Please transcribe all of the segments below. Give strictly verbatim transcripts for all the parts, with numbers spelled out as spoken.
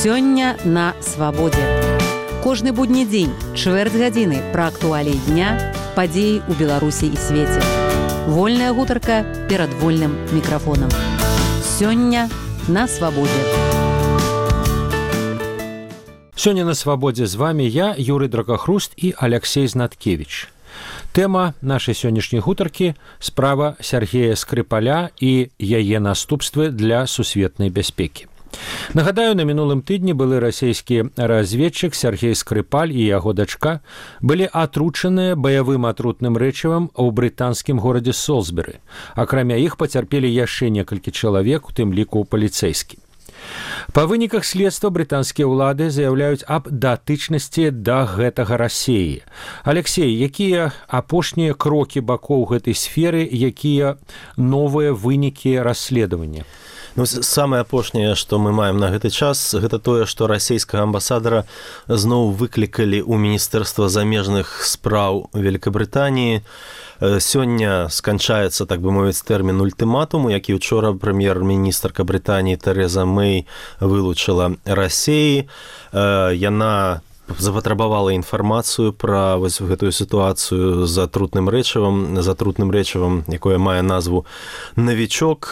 Сёння на свабодзе. Кожны будні дзень, чвэрць гадзіны пра актуаліі дня, падзеі ў Беларусі і свеце. Вольная гутарка перад вольным мікрафонам. Сёння на свабодзе. Сёння на свабодзе з вами я, Юрый Дракахруст і Алексей Знаткевич. Тэма нашай сённяшняй гутаркі – справа Сергея Скрипаля і яе наступствы для сусветнай бяспекі. Нагадаю, на мінулым тыдні былы расійскі разведчык Сергей Скрипаль і яго дачка былі атручаныя баявым атрутным рэчывам ў брытанскім горадзе Солсбері. Акрамя іх пацярпелі яшчэ некалькі чалавек, у тым ліку паліцэйскі. Па выніках следства брытанскія ўлады заяўляюць аб датычнасці да гэтага Расіі. Алексей, якія апошнія крокі бакоў гэтай сферы, якія новыя вынікі расследавання? Ну, самае апошняе, што мы маем на гэты час, гэта тое, што расійскага амбасадара зноў выклікалі ў Міністэрства замежных спраў Великабрытаніі. Сёння сканчаецца, так бы мовіць, тэрмін ультыматуму, які учора прэм'ер-міністрка Брытаніі Тэрэза Мэй вылучыла Расіі. Яна запатрабавала інфармацыю пра вось гэтую сітуацыю з атрутным рэчывам, з атрутным рэчывам, якое мае назву «Навічок».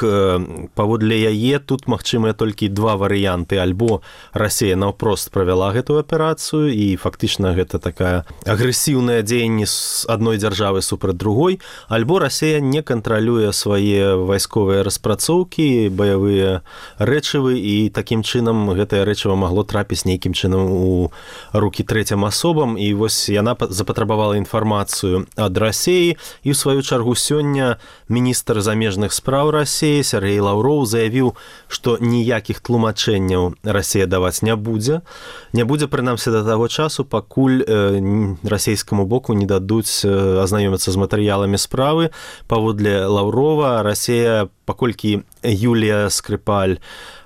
Паводле яе тут магчымыя толькі два варыянты. Альбо Расія наўпрост правяла гэтую аперацыю, і фактычна гэта такая агрэсіўнае дзеянне з адной дзяржавы супраць другой, альбо Расія не кантралюе свае вайсковыя распрацоўкі, баявыя рэчывы, і такім чынам гэтае рэчыва магло трапіць нейкім чынам у рукі трэцім асобам, і вось яна запатрабавала інфармацыю ад Расіі, і ў сваю чаргу сёння міністр замежных спраў Расіі Сергей Лаўроў заявіў, што ніякіх тлумачэнняў Расія даваць не будзе. Не будзе, прынамсі, да таго часу, пакуль э, расійскаму боку не дадуць э, азнаёміцца з матэрыяламі справы. Паводле Лаўрова, Расія, паколькі Юлія Скрипаль,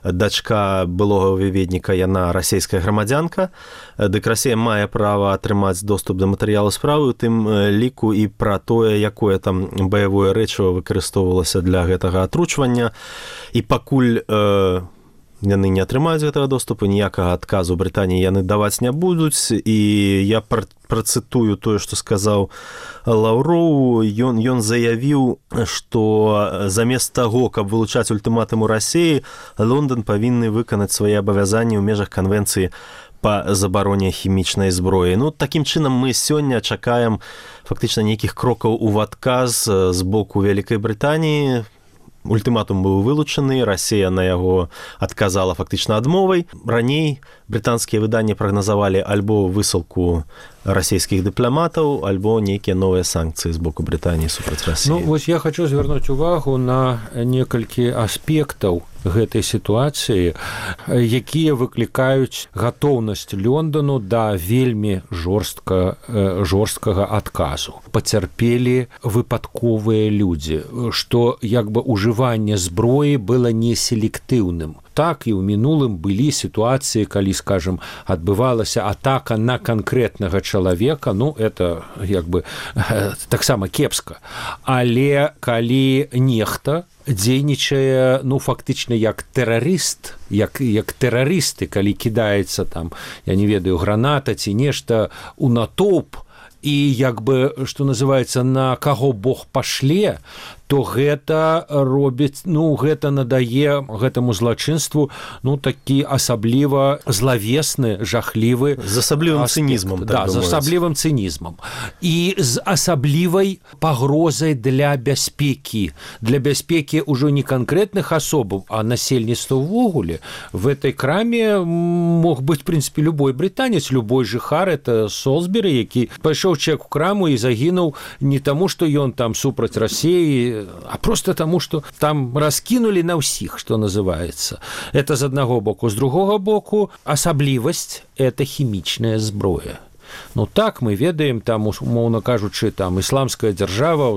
дачка былога выведніка, яна расійская грамадзянка, дык Расія мае права атрымаць доступ да матэрыялу справы, у тым ліку і пра тое, якое там баявое рэчыва выкарыстоўвалася для гэтага атручвання. І пакуль э, яны не атрымаюць гэтага доступу, ніякага адказу Брытаніі яны даваць не будуць. І я пр працытую тое, што сказаў Лаўроў. Ён, ён заявіў, што замест таго, каб вылучаць ультыматум у Расіі, Лондан павінны выканаць свае абавязанні ў межах канвенцыі па забароне хімічнай зброі. Ну, такім чынам мы сёння чакаем фактычна нейкіх крокаў у адказ з боку Вялікай Брытаніі. Ультыматум быў вылучаны, Расія на яго адказала фактычна адмовай. Раней брытанскія выданні прагназавалі альбо высылку расійскіх дыпламатаў, альбо нейкія новыя санкцыі з боку Брытаніі супраць Расіі. Ну, вось я хочу звярнуць увагу на некалькі аспектаў гэтай сітуацыі, якія выклікаюць гатоўнасць Лондану да вельмі жорстка, жорсткага адказу. Пацярпелі выпадковыя людзі, што як бы ужыванне зброі было неселектыўным. Так і ў мінулым былі сітуацыі, калі, скажем, адбывалася атака на канкрэтнага чалавека, ну, это як бы таксама кепска. Але калі нехта дзейнічае, ну, фактычна як тэрарыст, як, як тэрарысты, калі кідаецца там, я не ведаю, граната ці нешта у натоўп, і як бы, што называецца, на каго Бог пашле, то гэта робіць, ну, гэта надае гэтаму злачынству, ну, такі асабліва злавесны, жахлівы... З асаблівым цынізмам. Да, з асаблівым цынізмам. І з асаблівай пагрозай для бяспекі. Для бяспекі ўжо не канкрэтных асобаў, а насельніцтва ўвогуле. В этой краме мог быць, в прынцыпе, любой брытанец, любой жыхар, это Солсбері, які пайшоў чалавек у краму і загінуў не таму, што ён там супраць Расіі, а просто таму, што там раскінулі на ўсіх, што называецца. Это з аднаго боку. З другога боку, асаблівасць – это хімічная зброя. Ну так мы ведаем, там умоўна кажучы, там ісламская дзяржава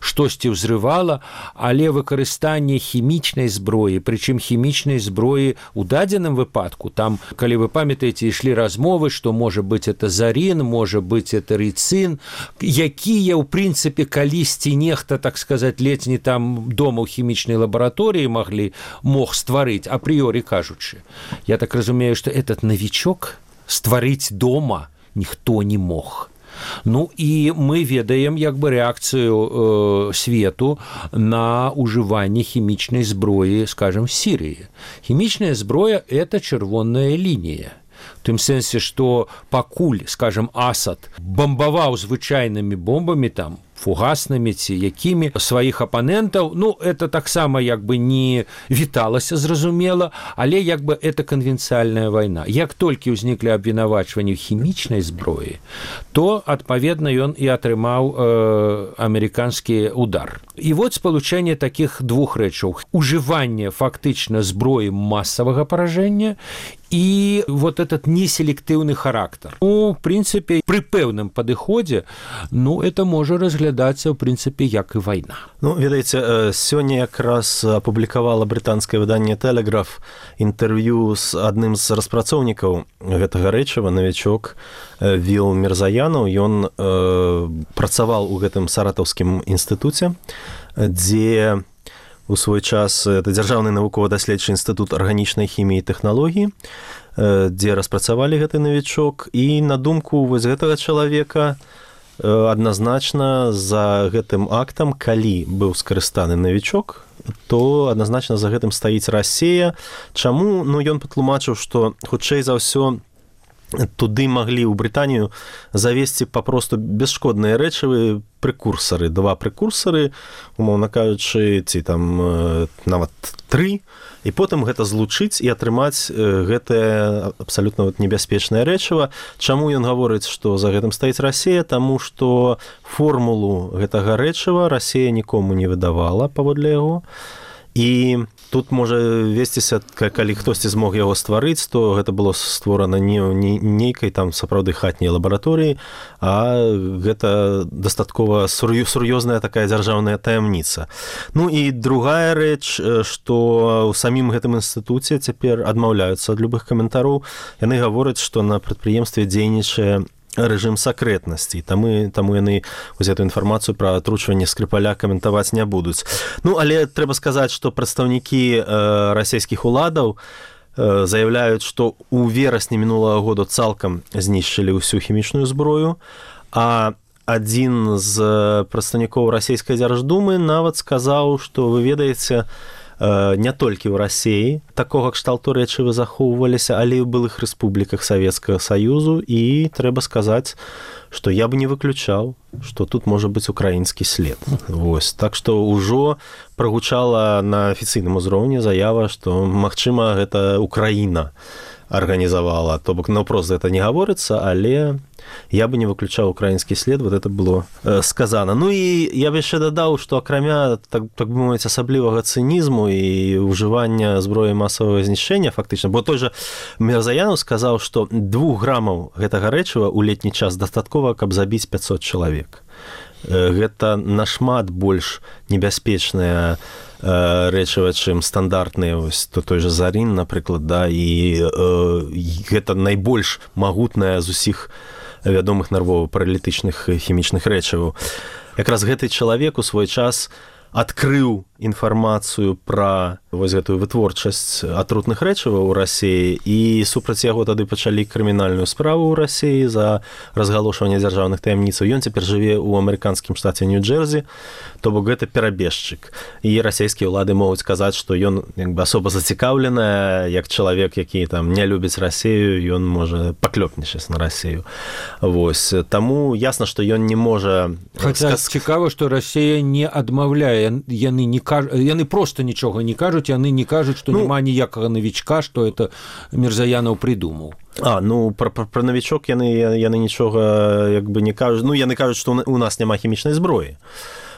штосьці ўзрывала, але выкарыстанне хімічнай зброі, прычым хімічнай зброі у дадзеным выпадку, там, калі вы памятаеце, ішлі размовы, што можа быць это зарин, можа быць это рыцин, якія ў прынцыпе калісьці нехта, так сказаць, ледзь не там дома ў хімічнай лабараторыі маглі мог стварыць, апрыёрі кажучы. Я так разумею, што этот новичок стварыць дома ніхто не мог. Ну і мы ведаем як бы рэакцыю э, свету на ўжыванне хімічнай зброі, скажем, Сірыі. Хімічная зброя – это чырвоная лінія. В тым сэнсе, што пакуль, скажем, Асад бомбаваў звычайнымі бомбамі там, фугаснымі ці якімі сваіх апанентаў, ну, это таксама як бы не віталася, зразумела, але як бы это канвенцыяльная вайна. Як толькі ўзніклі абвінавачванні хімічнай зброі, то, адпаведна, ён і атрымаў э, амерыканскі удар. І вот спалучэнне такіх двух рэчаў. Ужыванне фактычна зброі масавага паражэння і вот этот неселектыўны характар. Ну, в прынцыпе, пры пэўным падыходзе, ну, это можа разглядацца, в прынцыпе, як і вайна. Ну, ведаеце, сёння якраз апублікавала брытанскае выданне «Тэлеграф» інтэрв'ю з адным з распрацоўнікаў гэтага рэчыва, навічок Віл Мірзаянаў. Ён э, працаваў у гэтым саратаўскім інстытуце, дзе у свой час это дзяржаўны навукова-даследчы інстытут арганічнай хіміі і тэхналогіі, дзе распрацавалі гэты навічок. І на думку вось гэтага чалавека адназначна за гэтым актам, калі быў скарыстаны навічок, то адназначна за гэтым стаіць Расія. Чаму? Ну, ён патлумачыў, што хутчэй за ўсё туды маглі ў Брытанію завесці папросту бесшкодныя рэчывы, прекурсоры, два прекурсоры, умоўна кажучы, ці там нават тры, і потым гэта злучыць і атрымаць гэтае абсалютна вот небяспечнае рэчыва. Чаму ён гаворыць, што за гэтым стаіць Расія? Таму што формулу гэтага рэчыва Расія нікому не выдавала паводле яго. І тут можа весціся, калі хтосьці змог яго стварыць, то гэта было створана не ў нейкай там сапраўды хатняй лабараторыі, а гэта дастаткова сур'ёзная такая дзяржаўная таямніца. Ну і другая рэч, што ў самім гэтым інстытуце цяпер адмаўляюцца ад любых каментароў. Яны гавораць, што на прадпрыемстве дзейнічае рэжым сакрэтнасці, таму, таму яны вось эту інфармацыю пра атручванне Скрыпаля каментаваць не будуць. Ну, але трэба сказаць, што прадстаўнікі э, расійскіх уладаў э, заяўляюць, што ў верасні мінулага года цалкам знішчылі ўсю хімічную зброю, а адзін з прадстаўнікоў расійскай дзярждумы нават сказаў, што вы ведаеце, не толькі ў Расіі такога кшталту рэчывы захоўваліся, але і ў былых рэспубліках Савецкага Саюзу, і трэба сказаць, што я бы не выключаў, што тут можа быць украінскі след. Вось. Так што ўжо прагучала на афіцыйным узроўні заява, што, магчыма, гэта Украіна арганізавала. То бок, наўпрост гэта не гаворыцца, але я бы не выключаў украінскі след, вот это было э, сказано. Ну і я бы яшчэ дадаў, што акрамя, так, так бы мовіць, асаблівага цынізму і ўжывання зброі масавага знішчэння, фактычна, бо той жа Мірзаянаў сказаў, што двух грамаў гэтага рэчыва ў летні час дастаткова, каб забіць пяцьсот чалавек. Э, гэта нашмат больш небяспечная рэчыва, чым стандартныя, вось, то той жа зарин, напрыклад, да, і э, гэта найбольш магутная з усіх вядомых нарвова-паралітычных хімічных рэчываў. Якраз гэты чалавек у свой час адкрыў інфармацыю пра вось гэтую вытворчасць атрутных рэчываў у Расіі, і супраць яго тады пачалі крымінальную справу ў Расіі за разгалошванне дзяржаўных таямніцаў. Ён цяпер жыве ў амерыканскім штаце Нью-Джерсі, то бок гэта перабежчык. І расійскія ўлады могуць сказаць, што ён як бы асоба зацікаўленая, як чалавек, які там не любіць Расію, ён можа паклёпнічаць на Расію. Вось. Таму ясна, што ён не можа... Хаця сказ... цікава, што Расія не адмаўляе, яны не яны просто нічога не кажуць, яны не кажуць, што ну, няма ніякага навічка, што это Мірзаянаў прыдумаў. А, ну, пра, пра, пра навічок яны, яны нічога як бы не кажуць. Ну, яны кажуць, што у нас няма хімічнай зброі.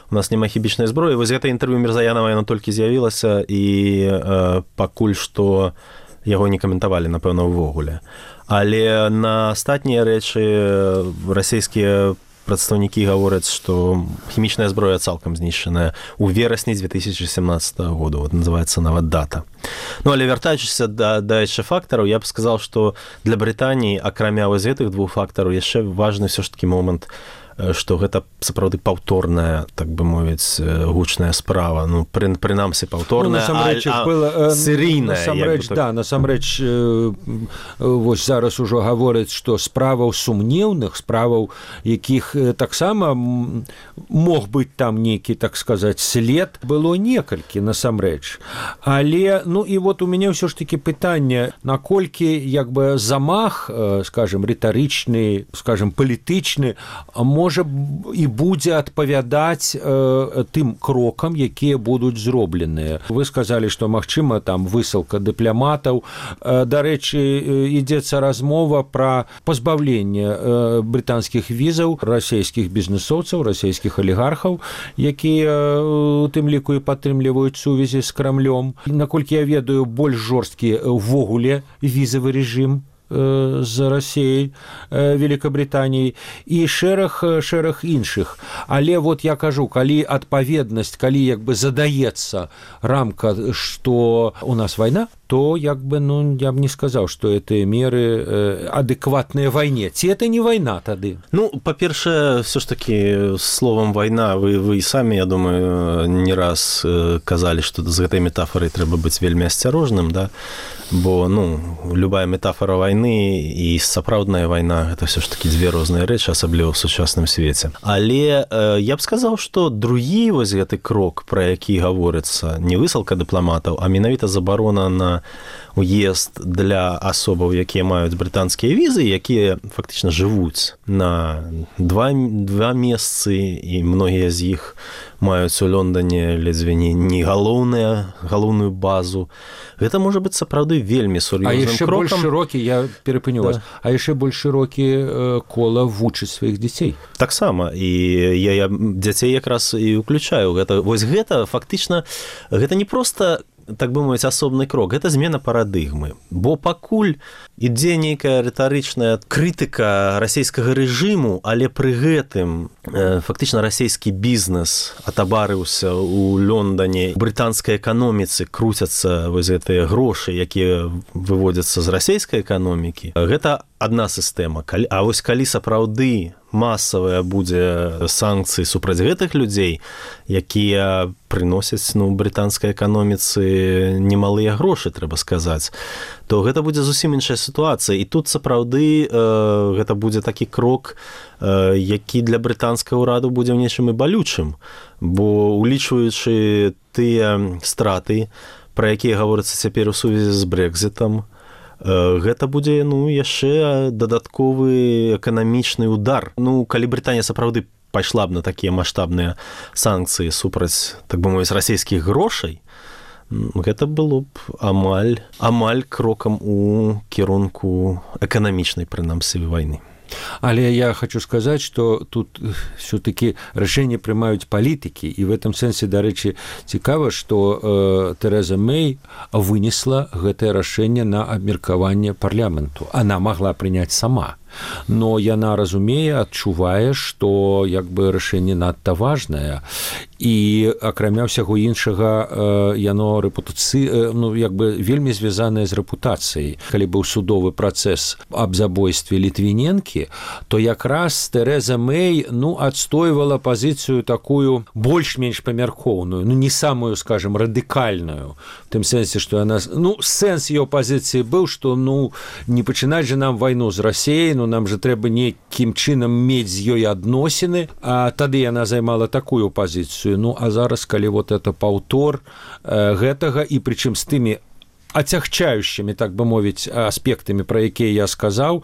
У нас няма хімічнай зброі. Вось гэта інтэрв'ю Мірзаянава, яно толькі з'явілася, і э, пакуль што яго не каментавалі, напэўна, увогуле. Але на астатнія рэчы расійскія прадстаўнікі гавораць, што хімічная зброя цалкам знішчаная ў верасні две тысячи семнадцатого года, вот называецца нават дата. Ну, але вяртаючыся да, да яшчэ фактараў, я б сказаў, што для Брытаніі, акрамя вось гэтых двух фактараў, яшчэ важны ўсё ж такі момант, што гэта сапраўды паўторная, так бы мовіць, гучная справа. Ну, пры, прынамсі паўторная, ну, а, а была, серійная. Насамрэч, так... да, насамрэч, э, вось зараз ужо гавораць, што справаў сумнеўных, справаў, якіх э, таксама мог быць там нейкі, так сказаць, след, было некалькі, насамрэч. Але, ну, і вот у мяне ўсё ж такі пытанне, наколькі, як бы, замах, э, скажем, рытарычны, скажем, палітычны, можа і будзе адпавядаць э, тым крокам, якія будуць зробленыя. Вы сказалі, што магчыма там высылка дыпламатаў. Э, дарэчы, ідзецца размова пра пазбаўленне э, брытанскіх візаў расійскіх бізнесоўцаў, расійскіх алігархаў, якія у тым ліку і падтрымліваюць сувязі з Крамлём. Наколькі я ведаю, больш жорсткі ўвогуле візавы рэжым з Расіяй, Великабрытаніяй і шэраг, шэраг іншых. Але вот я кажу, калі адпаведнасць, калі як бы задаецца рамка, што у нас вайна, то як бы, ну, я б не сказаў, што гэтыя меры э, адэкватныя вайне. Ці это не вайна тады? Ну, па-першае, все ж таки, словам вайна, вы, вы і самі, я думаю, не раз казалі, што з гэтай метафорай трэба быць вельмі асцярожным, да? Бо, ну, любая метафора вайны і сапраўдная вайна, гэта все ж таки дзве розныя рэчы, асабліва ў сучасным свеце. Але э, я б сказаў, што другі вось гэты крок, пра які гаворыцца, не высылка дыпламатаў, а менавіта забарона на уезд для асобаў, якія маюць брытанскія візы, якія фактычна жывуць на два, два месцы, і многія з іх маюць у Лондоне ледзьве не, не галоўная, галоўную базу. Гэта можа быць сапраўды вельмі сур'ёзным крокам. А яшчэ больш шырокі, я перапыню вас, да. А яшчэ больш шырокі э, кола вучыць сваіх дзяцей. Таксама, і я, я дзяцей якраз і ўключаю. Гэта, вось гэта фактычна, гэта не проста, так бы мовіць, асобны крок, гэта змена парадыгмы. Бо пакуль ідзе нейкая рытарычная крытыка расійскага рэжыму, але пры гэтым э, фактычна расійскі бізнес атабарыўся ў Лондоне, у брытанскай эканоміцы круцяцца вось гэтыя грошы, якія выводзяцца з расійскай эканомікі. Гэта адна сістэма. А вось калі сапраўды масавая будзе санкцыі супраць гэтых людзей, якія прыносяць, ну, брытанскай эканоміцы немалыя грошы, трэба сказаць, то гэта будзе зусім іншая сітуацыя. І тут сапраўды э, гэта будзе такі крок, э, які для брытанскага ўраду будзе ў нечым і балючым, бо улічваючы тыя страты, пра якія гаворыцца цяпер у сувязі з Брэкзітам, гэта будзе, ну, яшчэ дадатковы эканамічны удар. Ну, калі Брытанія сапраўды пайшла б на такія маштабныя санкцыі супраць, так бы мовіць, расійскіх грошай, гэта было б амаль, амаль крокам у кірунку эканамічнай, прынамсі, вайны. Але я хочу сказаць, што тут все-таки рашэнне прымаюць палітыкі, і в этом сэнсе, дарэчы, цікава, што э, Тэрэза Мэй вынесла гэтае рашэнне на абмеркаванне парламенту. Она могла прыняць сама. Но яна разумее, адчувае, што як бы рашэнне надта важнае, і акрамя ўсяго іншага яно рэпутацыі, ну, як бы вельмі звязанае з рэпутацыяй. Калі быў судовы працэс аб забойстве Літвіненкі, то якраз Тэрэза Мэй, ну, адстойвала пазіцыю такую больш-менш памяркоўную, ну, не самую, скажем, радыкальную, в тым сэнсе, што яна, ну, сэнс яе пазіцыі быў, што, ну, не пачынаць же нам вайну з Расіяй, ну, нам же трэба нейкім чынам мець з ёй адносіны, а тады яна займала такую пазіцыю. Ну, а зараз, калі вот это паўтор э, гэтага, і прычым з тымі ацягчаючымі, так бы мовіць, аспектамі, пра якія я сказаў,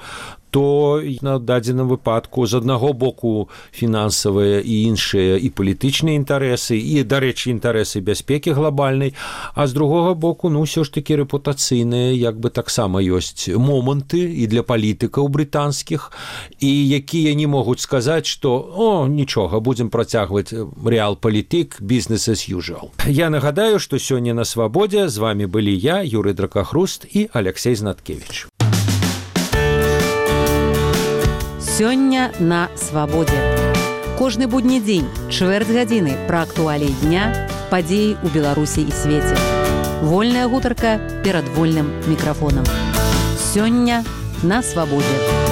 то на дадзеным выпадку з аднаго боку фінансавыя і іншыя і палітычныя інтарэсы, і, дарэчы, інтарэсы бяспекі глобальнай, а з другога боку, ну, ўсё ж такі рэпутацыйныя, як бы таксама ёсць моманты і для палітыкаў брытанскіх, і якія не могуць сказаць, што о, нічога, будзем працягваць рэал-палітык, business as usual. Я нагадаю, што сёння на Свабодзе з вами былі я, Юрый Дракахруст і Алексей Знаткевич. Сёння на Свабодзе. Кожны будні дзень, чвэрць гадзіны пра актуаліі дня, падзеі ў Беларусі і свеце. Вольная гутарка перад вольным мікрафонам. Сёння на Свабодзе.